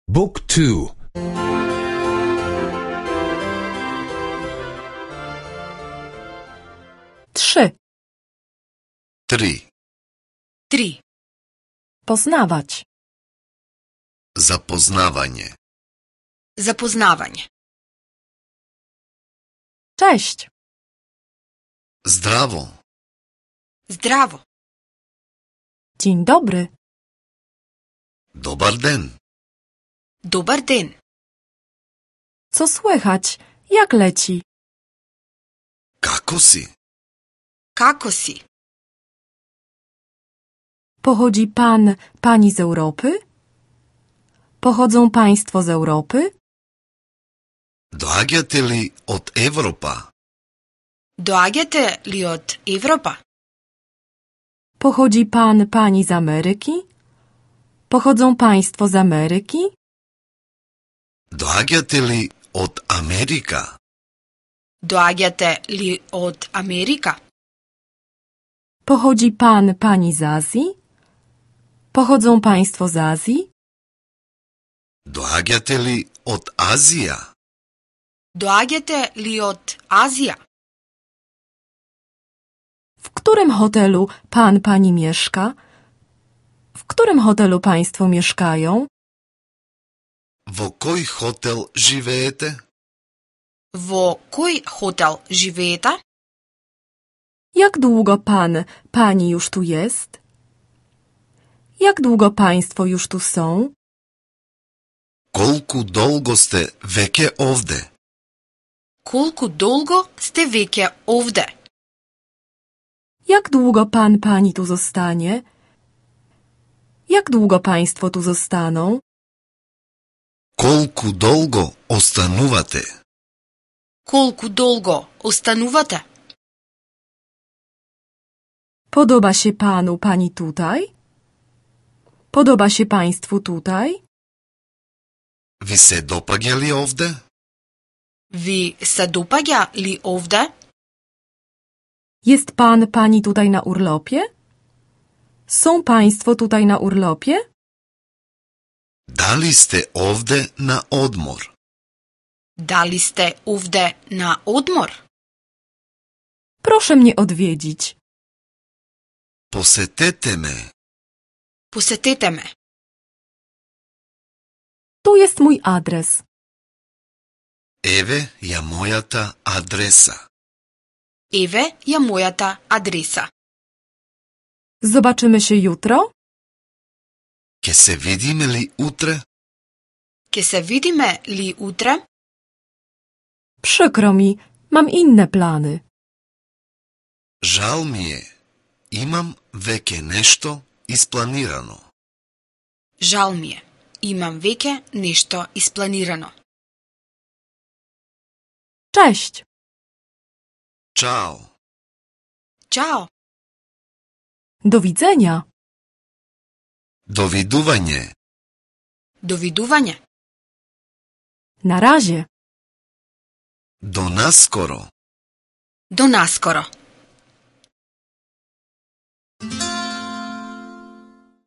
Book 2. Trzy. 3. 3. Poznawać. Запознавање. Запознавање. Cześć. Здраво. Здраво. Dzień dobry. Добар ден. Добар ден. Co słychać? Jak leci? Како си? Како си? Pochodzi pani z Europy? Pochodzą państwo z Europy? Доаѓате ли од Европа? Доаѓате ли од Европа? Pochodzi pani z Ameryki? Pochodzą państwo z Ameryki? Доаѓате ли од Америка? Доаѓате ли од Америка? Pochodzi pani z Azji? Pochodzą państwo z Azji? Доаѓате ли од Азија? Доаѓате ли од Азија? W którym hotelu pani mieszka? W którym hotelu państwo mieszkają? Во кој хотел живеете? Во кој хотел живеете? Jak długo pani już tu jest? Jak długo państwo już tu są? Колку долго сте веќе овде? Колку долго сте веќе овде? Jak długo pani tu zostanie? Jak długo państwo tu zostaną? Колку долго останувате? Колку долго останувате? Podoba się pani tutaj? Podoba się państwu tutaj? Ви се допаѓа ли овде? Ви се допаѓа ли овде? Jest pani tutaj na urlopie? Są państwo tutaj na urlopie? Дали сте овде на одмор? Дали сте овде на одмор? Proszę mnie odwiedzić. Посетете ме. Посетете ме. Tu jest mój adres. Еве ја мојата адреса. Еве ја мојата адреса. Zobaczymy się jutro? Ке се видиме ли утре? Ке се видиме ли утре? Przykro mi, mam inne plany. Жал ми е. Имам веќе нешто испланирано. Жал ми е. Имам веќе нешто испланирано. Cześć. Чао. Чао. Do widzenia. Довидување. Довидување. Na razie. До наскоро. До наскоро.